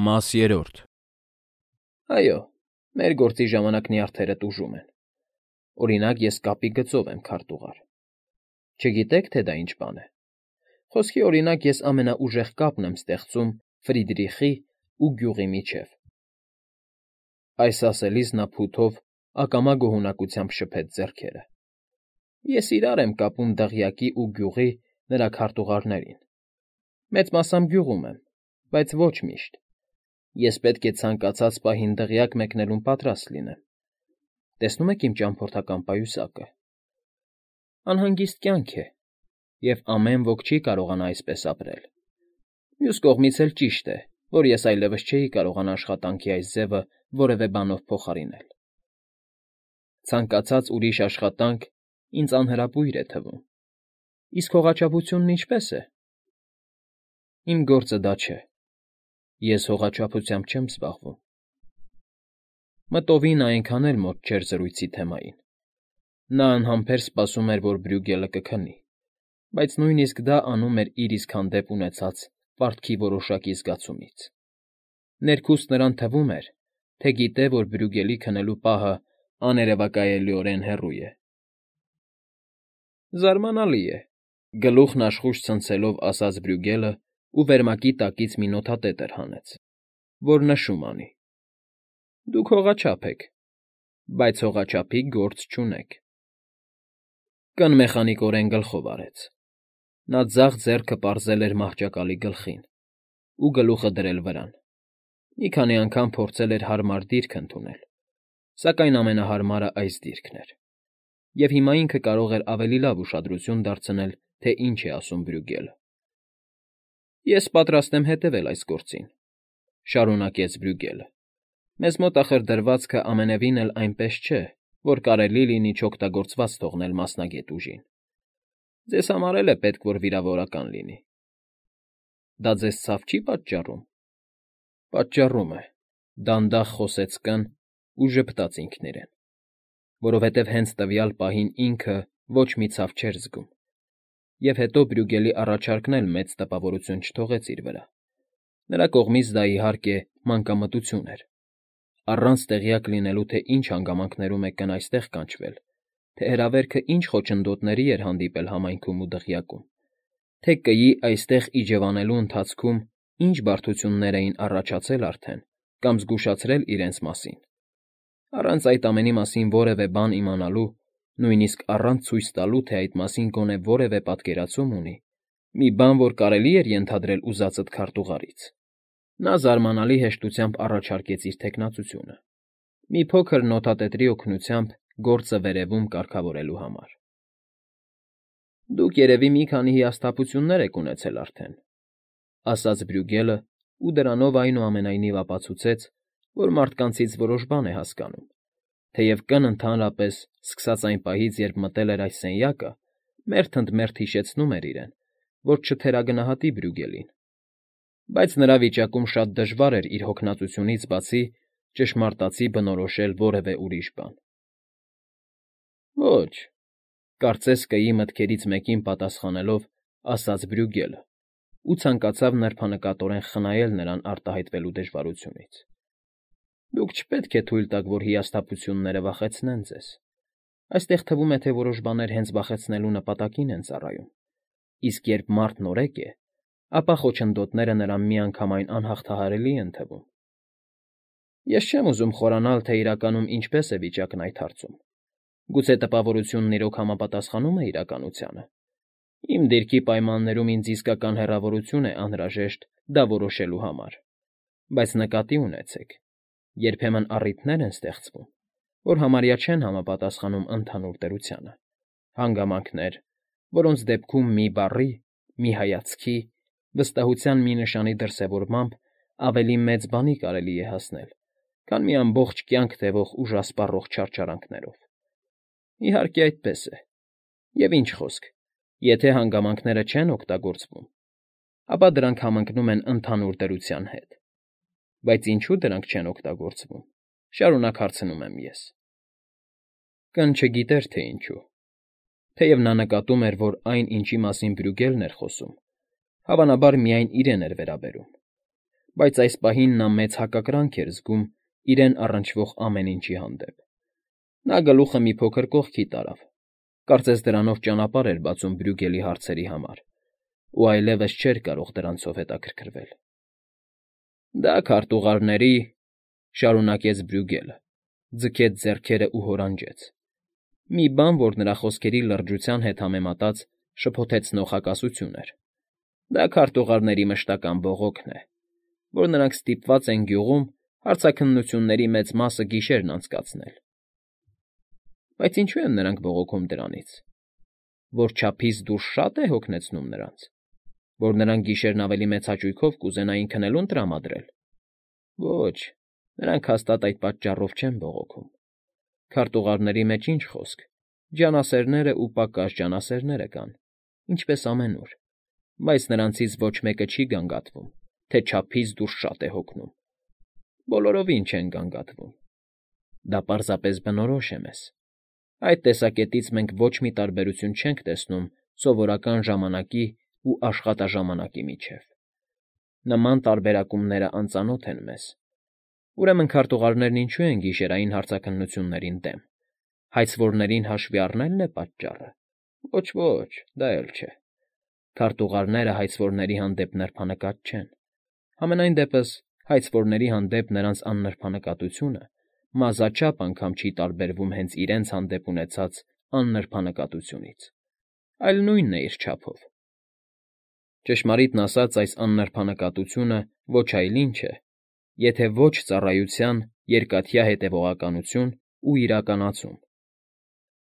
Մաս երրորդ։ Այո, մեր գործի ժամանակ նյարդերը տուժում են։ Օրինակ, ես կապի գծով եմ քարտուղար։ Չգիտեք, թե դա ինչ բան է։ Խոսքի օրինակ, ես ամենաուժեղ կապն եմ ստեղծում Ֆրիդրիխի ու գյուղի միջև։ Այս ասելիս նա փութով ակամա գոհունակությամբ շփեց ձեռքերը։ Ես իրար եմ կապում դղյակի ու գյուղի նրա քարտուղարներին։ Մեծ մասամբ գյուղում եմ, բայց ոչ միշտ։ Ես պետք է ցանկացած պահին դղյակ մեկնելուն պատրաստ լինեմ։ Տեսնում եք իմ ճամփորդական պայուսակը։ Անհանգիստ կյանք է, և ամեն ոք չի կարողանա այսպես ապրել։ Մյուս կողմից էլ ճիշտ է, որ ես այլևս չէի կարողանա աշխատանքի այս ձևը որևէ բանով փոխարինել։ Ցանկացած ուրիշ աշխատանք ինձ անհրապույր է թվում։ Իսկ հողաչափությունն ինչպե՞ս է։ Իմ գործը դա չէ։ Ես հողաչափությամբ չեմ զբաղվում։ Մտովին այնքան էլ մոտ չէր զրույցի թեմային։ Նա անհամբեր սպասում էր, որ Բրյուգելը կքնի, բայց նույնիսկ դա անում էր իր իսկ հանդեպ ունեցած պարտքի որոշակի զգացումից։ Ներքուստ նրան թվում էր, թե գիտե, որ Բրյուգելի քնելու պահը աներևակայելիորեն հեռու է։ Զարմանալի է, գլուխն աշխույժ ցնցելով ասաց Բրյուգելը ու վերմակի տակից մի նոթատետր հանեց, որ նշում անի. Դուք հողաչափ եք, բայց հողաչափի գործ չունեք։ Կն մեխանիկորեն գլխով արեց։ Նա ձախ ձեռքը պարզել էր մահճակալի գլխին ու գլուխը դրել վրան։ Մի քանի անգամ փորձել էր հարմար դիրք ընդունել, սակայն ամենահարմարը այս դիրքն էր։ Եվ հիմա ինքը կարող էր ավելի լավ ուշադրություն դարձնել, թե ինչ է ասում Բրյուգելը։ Ես պատրաստ եմ հետևել այս գործին, շարունակեց Բրյուգելը։ Մեզ մոտ ախր դրվածքը ամենևին էլ այնպես չէ, որ կարելի լինի չօգտագործված թողնել մասնագետ ուժին։ Ձեզ համար էլ է պետք, որ վիրավորական լինի։ Դա ձեզ ցավ չի պատճառում։ Պատճառում է, դանդաղ խոսեց կն ու ժպտաց ինքն իրեն, որովհետև հենց տվյալ պահին ինքը ոչ մի ցավ չէր զգում։ Եվ հետո Բրյուգելի առաջարկն էլ մեծ տպավորություն չթողեց իր վրա։ Նրա կողմից դա, իհարկե, մանկամտություն էր։ Առանց տեղյակ լինելու, թե ինչ հանգամանքներում է կն այստեղ կանչվել, թե հրավերքը ինչ խոչընդոտների էր հանդիպել համայնքում ու դղյակում, թե կյի այստեղ իջևանելու ընթացքում ինչ բարդություններ էին առաջացել արդեն կամ զգուշացրել իրենց մասին։ Առանց այդ ամենի մասին որևէ բան իմանալու, նույնիսկ առանց ցույց տալու, թե այդ մասին գոնե որևէ պատկերացում ունի, մի բան, որ կարելի էր ենթադրել ուզածդ քարտուղարից, նա զարմանալի հեշտությամբ առաջարկեց իր թեկնածությունը, մի փոքր նոթատետրի օգնությամբ գործը վերևում կարգավորելու համար։ Դուք երևի մի քանի հիասթափություններ եք ունեցել արդեն, ասաց Բրյուգելը ու դրանով այնուամենայնիվ ապացուցեց, որ մարդկանցից որոշ բան է հասկանում, թեև կն ընդհանրապես, սկսած այն պահից, երբ մտել էր այս սենյակը, մերթ ընդ մերթ հիշեցնում էր իրեն, որ չթերագնահատի Բրյուգելին, բայց նրա վիճակում շատ դժվար էր իր հոգնածությունից բացի ճշմարտացի բնորոշել որևէ ուրիշ բան։ Ոչ, կարծես կյի մտքերից մեկին պատասխանելով, ասաց Բրյուգելը ու ցանկացավ նրբանկատորեն խնայել նրան արտահայտվելու դժվարությունից։ Դուք չպետք է թույլ տաք, որ հիասթափությունները վախեցնեն ձեզ։ Այստեղ թվում է, թե որոշ բաներ հենց վախեցնելու նպատակին են ծառայում, իսկ երբ մարդն օրեք է, ապա խոչընդոտները նրան միանգամայն անհաղթահարելի են թվում։ Ես չեմ ուզում խորանալ, թե իրականում ինչպես է վիճակն այդ հարցում։ Գուցե տպավորությունն իրոք համապատասխանում է իրականությանը։ Իմ դիրքի պայմաններում ինձ իսկական հեռավորություն է անհրաժեշտ դա որոշելու համար։ Բայց նկատի ունեցեք, երբեմն առիթներ են ստեղծվում, որ համարյա չեն համապատասխանում ընդհանուր դրությանը, հանգամանքներ, որոնց դեպքում մի բառի, մի հայացքի, վստահության մի նշանի դրսևորմամբ ավելի մեծ բանի կարելի է հասնել, քան մի ամբողջ կյանք տևող ուժասպառող չարչարանքներով։ Իհարկե այդպես է։ Եվ ինչ խոսք, եթե հանգամանքները չեն օգտագործվում, ապա դրանք համընկնում են ընդհանուր դրության հետ։ Բայց ինչու դրանք չեն օգտագործվում, շարունակ հարցնում եմ ես։ Կն չգիտեր, թե ինչու։ Թեև նա նկատում էր, որ այն, ինչի մասին Բրյուգելն էր խոսում, հավանաբար միայն իրեն էր վերաբերում։ բայց այս պահին նա մեծ հակակրանք էր զգում իրեն առնչվող ամեն ինչի հանդեպ։ Նա գլուխը մի փոքր կողքի տարավ, կարծես դրանով ճանապարհ էր բացում Բրյուգելի հարցերի համար, ու այլևս չէր կարող դրանցով հետաքրքրվել։ Դա քարտուղարների, շարունակեց Բրյուգելը, ձգեց ձեռքերը ու հորանջեց։ Մի բան, որ նրա խոսքերի լրջության հետ համեմատած շփոթեցնող հակասություն էր։ Դա քարտուղարների մշտական բողոքն է, որ նրանք ստիպված են գյուղում հարցաքննությունների մեծ մասը գիշերն անցկացնել։ Բայց ինչու են նրանք բողոքում դրանից, որ չափից դուրս շատ է հոգնեցնում նրանց, որ նրանք գիշերն ավելի մեծ հաճույքով կուզենային քնելուն տրամադրել։ Ոչ, նրանք հաստատ այդ պատճառով չեն բողոքում։ Քարտուղարների մեջ ինչ խոսք, ջանասերները ու պակաս ջանասերները կան, ինչպես ամենուր, բայց նրանցից ոչ մեկը չի գանգատվում, թե չափից դուրս շատ է հոգնում։ Բոլորովին չեն գանգատվում։ Դա պարզապես բնորոշ է մեզ։ Այդ տեսակետից մենք ոչ մի տարբերություն չենք տեսնում սովորական ժամանակի ու աշխատաժամանակի միջև։ Նման տարբերակումները անծանոթ են մեզ։ Ուրեմն քարտուղարներն ինչու են գիշերային հարցաքննություններին դեմ։ Հայցվորներին հաշվի առնելն է պատճառը։ Ոչ, դա էլ չէ։ Քարտուղարները հայցվորների հանդեպ նրբանկատ չեն։ Համենայն դեպս հայցվորների հանդեպ նրանց աննրբանկատությունը մազաչափ անգամ չի տարբերվում հենց իրենց հանդեպ ունեցած աննրբանկատությունից, այլ նույնն է իր չափով։ Ճշմարիտն ասած, այս աննրբանկատությունը ոչ այլ ինչ է, եթե ոչ ծառայության երկաթյա հետևողականություն ու իրականացում։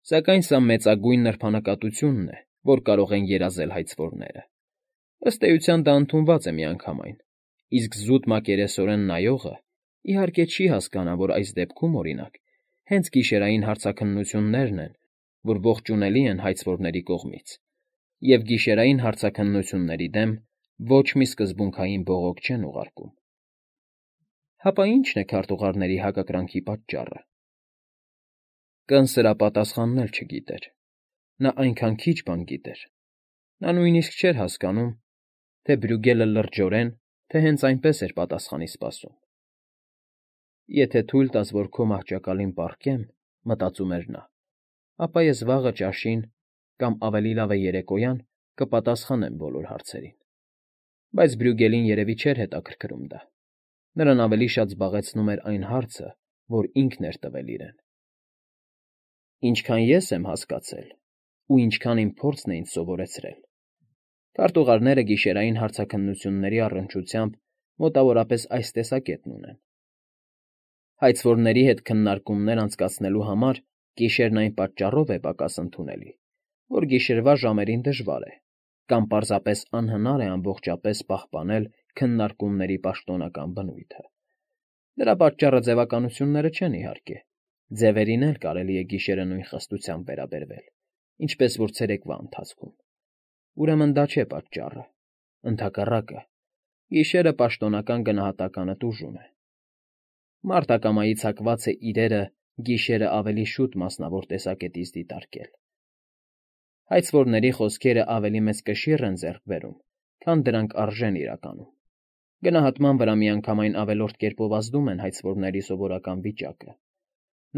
Սակայն սա մեծագույն նրբանկատությունն է, որ կարող են երազել հայցվորները։ Ըստ էության դա ընդունված է միանգամայն, իսկ զուտ մակերեսորեն նայողը իհարկե չի հասկանա, որ այս դեպքում, օրինակ, հենց գիշերային հարցաքննություններն են, որ ողջունելի են հայցվորների կողմից, և գիշերային հարցաքննությունների դեմ ոչ մի սկզբունքային բողոք չեն ուղարկում։ Հապա ի՞նչն է քարտուղարների հակակրանքի պատճառը։ Կնսրը պատասխանն էլ չգիտեր։ Նա այնքան քիչ բան գիտեր։ Նա նույնիսկ չէր հասկանում, թե Բրյուգելը լրջորեն, թե հենց այնպես էր պատասխանի սպասում։ Եթե թույլ տաս, որ քո մահճակալին պառկեմ, մտածում էր նա, ապա ես վաղը ճաշին կամ ավելի լավ է երեկոյան կպատասխանեմ բոլոր հարցերին։ Բայց Բրյուգելին երևի չէր հետաքրքրում դա։ Նրան ավելի շատ զբաղեցնում էր այն հարցը, որ ինքն էր տվել իրեն։ Ինչքան ես եմ հասկացել, ու ինչքան իմ փորձն է ինձ սովորեցրել, քարտուղարները գիշերային հարցաքննությունների առնչությամբ մոտավորապես այս տեսակետն ունեն։ Հայցվորների հետ քննարկումներ անցկացնելու համար գիշերն այն պատճառով է պակաս ընդունելի, որ գիշերվա ժամերին դժվար է, կամ պարզապես անհնար է ամբողջապես պահպանել քննարկումների պաշտոնական բնույթը։ Դրա պատճառը ձևականությունները չեն, իհարկե։ Ձևերին էլ կարելի է գիշերը նույն խստությամբ վերաբերվել, ինչպես որ ցերեկվա ընթացքում։ Ուրեմն դա չէ պատճառը։ Ընդհակառակը, գիշերը պաշտոնական գնահատականը տուժում է։ Մարտակամայի ցակված է իրերը գիշերը ավելի շուտ մասնավոր տեսակետից դիտարկել։ Հայցվորների խոսքերը ավելի մեծ կշիռ են ձեռք բերում, քան դրանք արժեն իրականում։ Գնահատման վրա միանգամայն ավելորդ կերպով ազդում են հայցվորների սովորական վիճակը,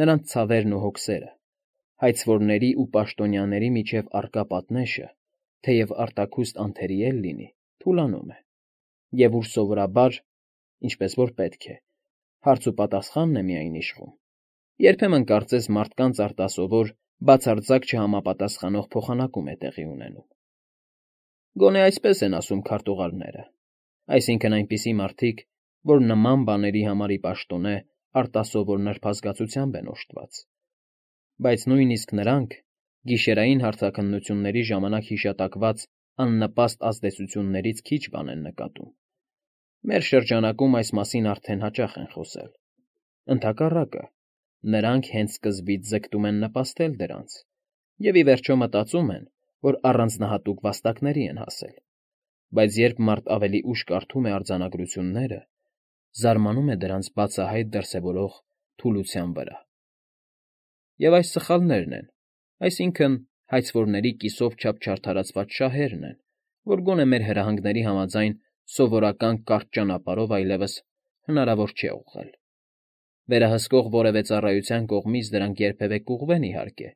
նրանց ցավերն ու հոգսերը, հայցվորների ու պաշտոնյաների միջև առկա պատնեշը, թեև արտաքուստ անթերի էլ լինի, թուլանում է, և ուր սովորաբար, ինչպես որ պետք է, հարց ու պատասխանն է միայն իշխում, երբեմն կարծես մարդկանց արտասովոր, բացարձակ չհամապատասխանող փոխանակում է տեղի ունենում։ Գոնե այսպես են ասում քարտուղարները, այսինքն այնպիսի մարդիկ, որ նման բաների համար ի պաշտոնե արտասովոր նրբազգացությամբ են օժտված։ Բայց նույնիսկ նրանք գիշերային հարցաքննությունների ժամանակ հիշատակված աննպաստ ազդեցություններից քիչ բան են նկատում։ Մեր շրջանակում այս մասին արդեն հաճախ են խոսել։ Ընդհակառակը, նրանք հենց սկզբից ձգտում են նպաստել դրանց, և ի վերջո մտածում են, որ առանձնահատուկ վաստակների են հասել, բայց երբ մարդ ավելի ուշ կարդում է արձանագրությունները, զարմանում է դրանց բացահայտ դրսևորող թուլության վրա։ Եվ այս սխալներն են, այսինքն հայցվորների կիսով չափ չարդարացված շահերն են, որ գոնե մեր հրահանգների համաձայն սովորական կարճ ճանապարհով այլևս հնարավոր չէ ուղղել։ Վերահսկող որևէ ծառայության կողմից դրանք երբևէ կուղղվեն, իհարկե,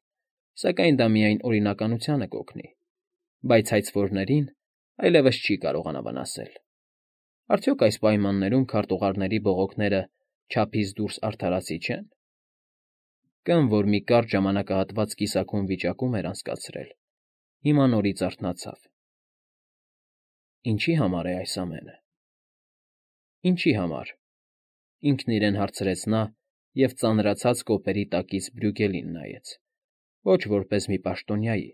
սակայն դա միայն օրինականությանը կօգնի, բայց հայցվորներին այլևս չի կարողանա վնասել։ Արդյոք այս պայմաններում քարտուղարների բողոքները չափից դուրս արդարացի չեն։ Կամ որ մի կարճ ժամանակահատված կիսաքուն վիճակում էր անցկացրել, հիմա նորից արթնացավ։ Ինչի համար է այս ամենը։ Ինչի համար, ինքն իրեն հարցրեց նա և ծանրացած կոպերի տակից Բրյուգելին նայեց, ոչ որպես մի պաշտոնյայի,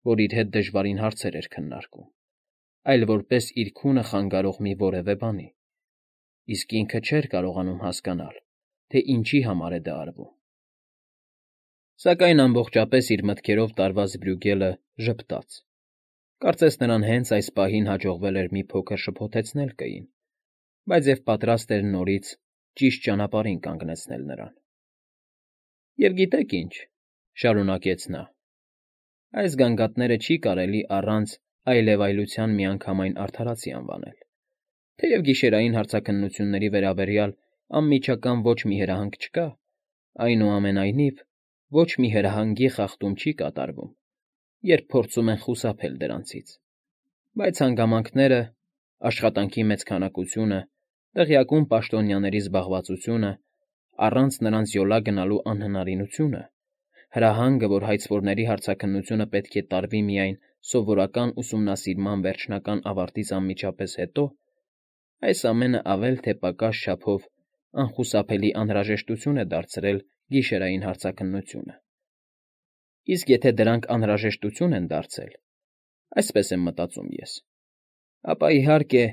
որ իր հետ դժվարին հարցեր էր քննարկում, այլ որպես իր քունը խանգարող մի որևէ բանի, իսկ ինքը չէր կարողանում հասկանալ, թե ինչի համար է դա արվում։ Սակայն ամբողջապես իր մտքերով տարված Բրյուգելը ժպտաց։ Կարծես նրան հենց այս պահին հաջողվել էր մի փոքր շփոթեցնել կային, բայց և պատրաստ էր նորից ճիշտ ճանապարհին կանգնեցնել նրան։ Եվ գիտեք ինչ, շարունակեց նա, այս գանգատները չի կարելի առանց այլևայլության միանգամայն արդարացի անվանել, թեև գիշերային հարցաքննությունների վերաբերյալ անմիջական ոչ մի հրահանգ չկա, այնուամենայնիվ ոչ մի հրահանգի խախտում չի կատարվում, երբ փորձում են խուսափել դրանցից, բայց հանգամանքները, աշխատանքի մեծ քանակությունը, տեղյակում պաշտոնյաների զբաղվածությունը, առանց նրանց յոլա գնալու անհնարինությունը, հրահանգը, որ հայցվորների հարցաքննությունը պետք է տարվի միայն սովորական ուսումնասիրման վերջնական ավարտից անմիջապես հետո, այս ամենը ավել թե պակաս չափով անխուսափելի անհրաժեշտություն է դարձրել գիշերային հարցաքննությունը։ Իսկ եթե դրանք անհրաժեշտություն են դարձել, այսպես եմ մտածում ես, ապա իհարկե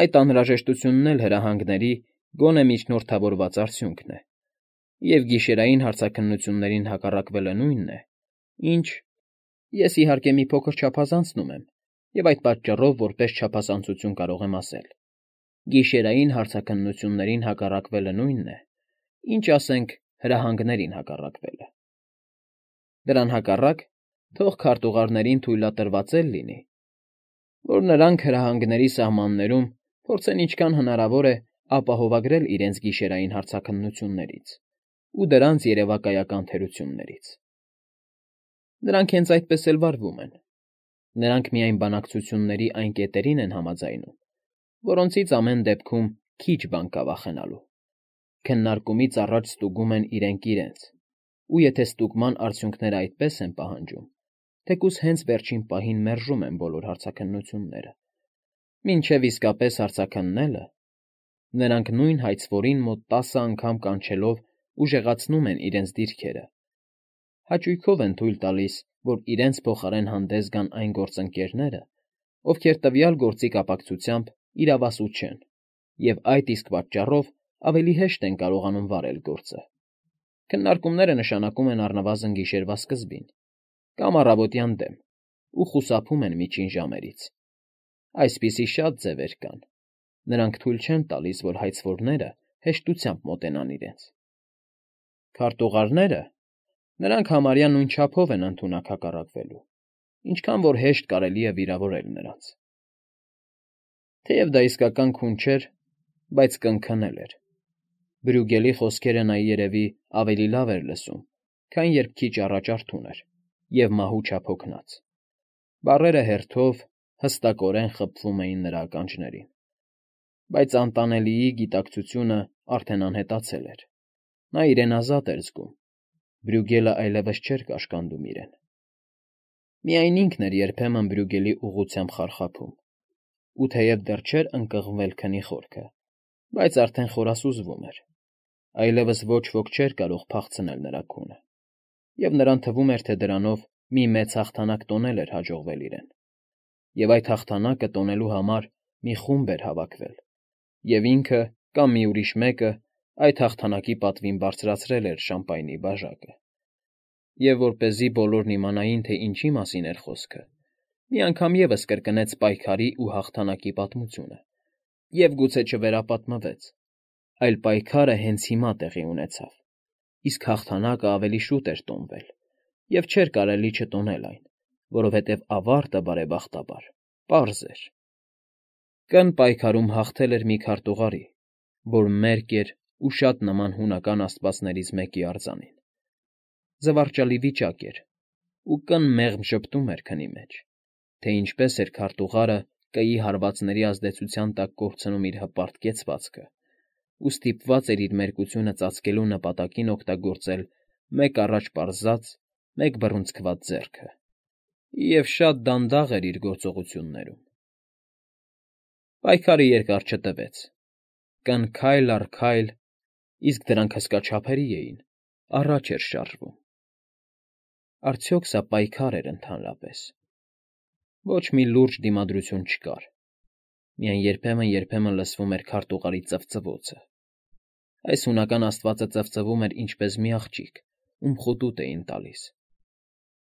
այդ անհրաժեշտությունն էլ հրահանգների գոնե միջնորդավորված արդյունքն է, և գիշերային հարցաքննություններին հակառակվելը նույնն է, ինչ… Ես իհարկե մի փոքր չափազանցնում եմ, և այդ պատճառով որպես չափազանցություն կարող եմ ասել. գիշերային հարցաքննություններին հակառակվելը նույնն է, ինչ, ասենք, հրահանգներին հակառակվելը։ Դրան հակառակ, թող քարտուղարներին թույլատրված էլ լինի, որ նրանք հրահանգների սահմաններում փորձեն ինչքան հնարավոր է ապահովագրել իրենց գիշերային հարցաքննություններից ու դրանց երևակայական թերություններից։ Նրանք հենց այդպես էլ վարվում են։ Նրանք միայն բանակցությունների այն կետերին են համաձայնում, որոնցից ամեն դեպքում քիչ բան կա վախենալու։ Քննարկումից առաջ ստուգում են իրենք իրենց, ու եթե ստուգման արդյունքները այդպես են պահանջում, թեկուզ հենց վերջին պահին մերժում են բոլոր հարցաքննությունները։ Մինչև իսկապես հարցաքննելը, նրանք նույն հայցվորին մոտ 10 անգամ կանչելով ուժեղացնում են իրենց դիրքերը, հաճույքով են թույլ տալիս, որ իրենց փոխարեն հանդես գան այն գործընկերները, ովքեր տվյալ գործի կապակցությամբ իրավասու չեն, և այդ իսկ պատճառով ավելի հեշտ են կարողանում վարել գործը։ Քննարկումները նշանակում են առնվազն գիշերվա սկզբին կամ առավոտյան դեմ ու խուսափում են միջին ժամերից։ Այսպիսի շատ ձևեր կան, նրանք թույլ չեն տալիս, որ հայցվորները հեշտությամբ մոտենան իրենց։ Քարտուղարները, նրանք համարյա նույն չափով են ընդունակ հակառակվելու, ինչքան որ հեշտ կարելի է վիրավորել նրանց։ Թեև դա իսկական քուն չէր, բայց կնքնել էր։ Բրյուգելի խոսքերը նա երևի ավելի լավ էր լսում, քան երբ քիչ առաջ արթուն էր և մահու չափ հոգնած։ Բառերը հերթով, հստակորեն խփվում էին նրա ականջներին։ Բայց անտանելիի գիտակցությունը արդեն անհետացել էր։ Նա իրեն ազատ էր զգում։ Բրյուգելը այլևս չէր կաշկանդում իրեն։ Միայն ինքն էր երբեմն Բրյուգելի ուղղությամբ խարխափում, ու թեև դեռ չէր ընկղմվել քնի խորքը, բայց արդեն խորասուզվում էր։ Այլևս ոչ ոք չէր կարող փախցնել նրա քունը, և նրան թվում էր, թե դրանով մի մեծ հաղթանակ տոնել էր հաջողվել իրեն, և այդ հաղթանակը տոնելու համար մի խումբ էր հավաքվել, և ինքը կամ մի ուրիշ մեկը այդ հաղթանակի պատվին բարձրացրել էր շամպայնի բաժակը։ Եվ որպեսզի բոլորն իմանային, թե ինչի մասին էր խոսքը, մի անգամ ևս կրկնեց պայքարի ու հաղթանակի պատմությունը, և գուցե չվերապատմվեց, այլ պայքարը հենց հիմա տեղի ունեցավ, իսկ հաղթանակը ավելի շուտ էր տոնվել, և չէր կարելի չտոնել այն, որովհետև ավարտը, բարեբախտաբար, պարզ էր։ Կն պայքարում հաղթել էր մի քարտուղարի, որ մերկ էր ու շատ նման հունական աստվածներից մեկի արձանին. զվարճալի վիճակ էր, ու կն մեղմ ժպտում էր քնի մեջ, թե ինչպես էր քարտուղարը կեի հարվածների ազդեցության տակ կորցնում իր հպարտ կեցվածքը, ու ստիպված էր իր մերկությունը ծածկելու նպատակին օգտագործել մեկ առաջ պարզած, մեկ բռունցքված ձեռքը, և շատ դանդաղ էր իր գործողություններում։ Պայքարը երկար չտևեց. կն քայլ առ քայլ, իսկ դրանք հսկաչափերի էին, առաջ էր շարժվում։ Արդյոք սա պայքար էր ընդհանրապես։ Ոչ մի լուրջ դիմադրություն չկար, միայն երբեմն լսվում էր քարտուղարի ծվծվոցը։ Այս հունական աստվածը ծվծվում էր ինչպես մի աղջիկ, ում խուտուտ էին տալիս։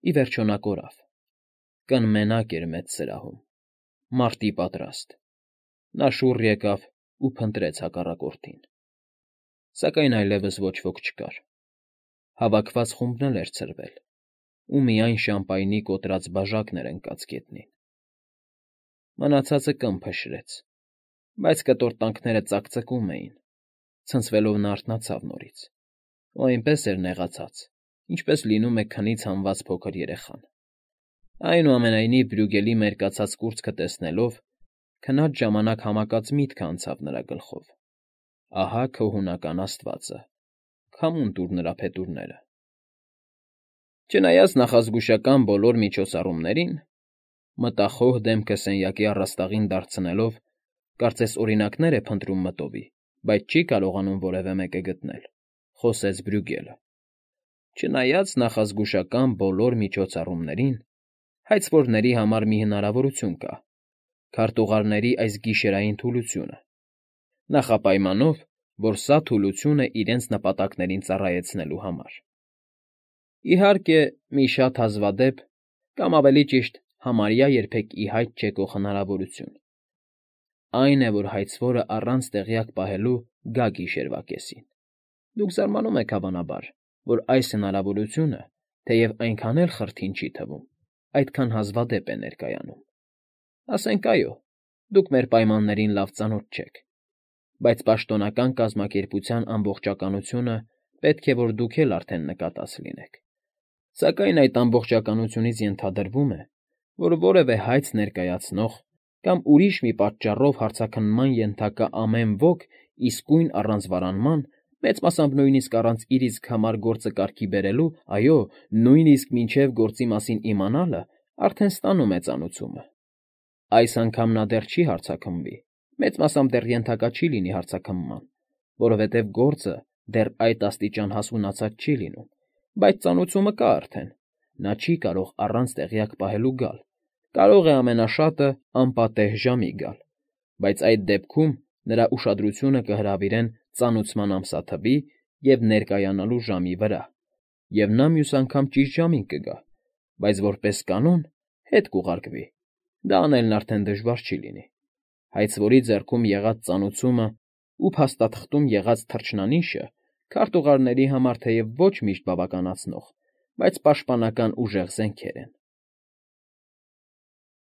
Ի վերջո նա կորավ։ Կն մենակ էր մեծ սրահում, մարտի պատրաստ։ Նա շուռ եկավ ու փնտրեց հակառակորդին։ Սակայն այլևս ոչ ոք չկար։ Հավաքված խումբն էլ էր ցրվել, ու միայն շամպայնի կոտրած բաժակն էր ընկած գետնին։ Մնացածը կն փշրեց, բայց կտորտանքները ծակծկում էին, ցնցվելով նա արթնացավ նորից, ու այնպես էր նեղացած, ինչպես լինում է քնից հանված փոքր երեխան։ Այնուամենայնիվ Բրյուգելի մերկացած կուրծքը տեսնելով, քնած ժամանակ համակած միտք անցավ նրա գլխով. ահա քո հունական աստվածը, քամուն տուր նրա փետուրները։ Չնայած նախազգուշական բոլոր միջոցառումներին, մտախոհ դեմքը սենյակի առաստաղին դարձնելով, կարծես օրինակներ է փնտրում մտովի, բայց չի կարողանում որևէ մեկը գտնել, խոսեց Բրյուգելը։ Չնայած նախազգուշական բոլոր միջոցառումներին, հայցվորների համար մի հնարավորություն կա. քարտուղարների այս գիշերային թուլությունը, նախապայմանով, որ սա թուլություն է իրենց նպատակներին ծառայեցնելու համար։ Իհարկե, մի շատ հազվադեպ, կամ ավելի ճիշտ, համարյա երբեք ի հայտ չեկող հնարավորություն։ Այն է, որ հայցվորը առանց տեղյակ պահելու գա գիշերվա կեսին։ Դուք զարմանում եք, հավանաբար, որ այս հնարավորությունը, թեև այնքան էլ խրթին չի թվում, այդքան հազվադեպ է ներկայանում։ Ասենք այո, դուք մեր պայմաններին լավ ծանոթ չեք, բայց պաշտոնական կազմակերպության ամբողջականությունը պետք է որ դուք էլ արդեն նկատած լինեք։ Սակայն այդ ամբողջականությունից ենթադրվում է, որ որևէ հայց ներկայացնող կամ ուրիշ մի պատճառով հարցաքննման ենթակա ամեն ոք իսկույն առանց վարանման, մեծ մասամբ նույնիսկ առանց իր իսկ համար գործը կարգի բերելու, այո, նույնիսկ մինչև գործի մասին իմանալը, արդեն ստանում է ծանուցումը։ Այս անգամ նա դեռ չի հարցաքննվի, մեծ մասամբ դեռ ենթակա չի լինի հարցաքննման, որովհետև գործը դեռ այդ աստիճան հասունացած չի լինում, բայց ծանուցումը կա արդեն, նա չի կարող առանց տեղյակ պահելու գալ, կարող է ամենաշատը անպատեհ ժամի գալ, բայց այդ դեպքում նրա ուշադրությունը կհրավիրեն ծանուցման ամսաթվի և ներկայանալու ժամի վրա, և նա մյուս անգամ ճիշտ ժամին կգա, բայց որպես կանոն հետ կուղարկվի, դա անելն արդեն դժվար չի լինի։ Հայցվորի ձեռքում եղած ծանուցումը ու փաստաթղթում եղած թռչնանիշը քարտուղարների համար թեև ոչ միշտ բավականացնող, բայց պաշտպանական ուժեղ զենքեր են։